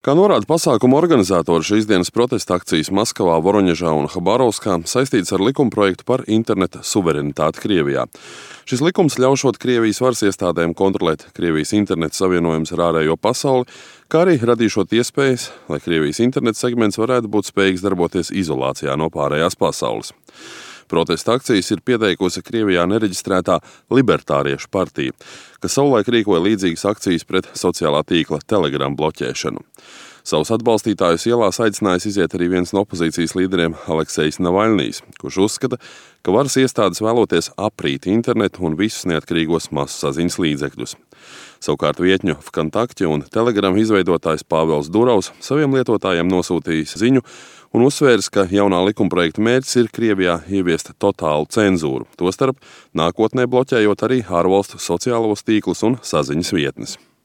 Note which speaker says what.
Speaker 1: Kā norāda pasākuma organizatori, šīs dienas protesta akcijas Maskavā, Voroņežā un Habarovskā saistītas ar likumprojektu par interneta suverenitāti Krievijā. Šis likums ļaušot Krievijas varas iestādēm kontrolēt Krievijas interneta savienojumus ar ārējo pasauli, kā arī radīšot iespējas, lai Krievijas interneta segments varētu būt spējīgs darboties izolācijā no pārējās pasaules. Protesta akcijas ir pieteikusi Krievijā nereģistrētā Libertāriešu partija, kas savulaik rīkoja līdzīgas akcijas pret sociālā tīkla Telegram bloķēšanu. Savus atbalstītājus ielās aicinājis iziet arī viens no opozīcijas līderiem Aleksejs Navaļnijs, kurš uzskata, ka varas iestādes vēloties aprīt internetu un visus neatkarīgos masasaziņas līdzekļus. Savukārt vietņu Vkontakte un Telegram izveidotājs Pāvels Durovs saviem lietotājiem nosūtījis ziņu un uzsvēris, ka jaunā likumprojekta mērķis ir Krievijā ieviest totālu cenzūru, tostarp nākotnē bloķējot arī ārvalstu sociālos tīklus un saziņas vietnes.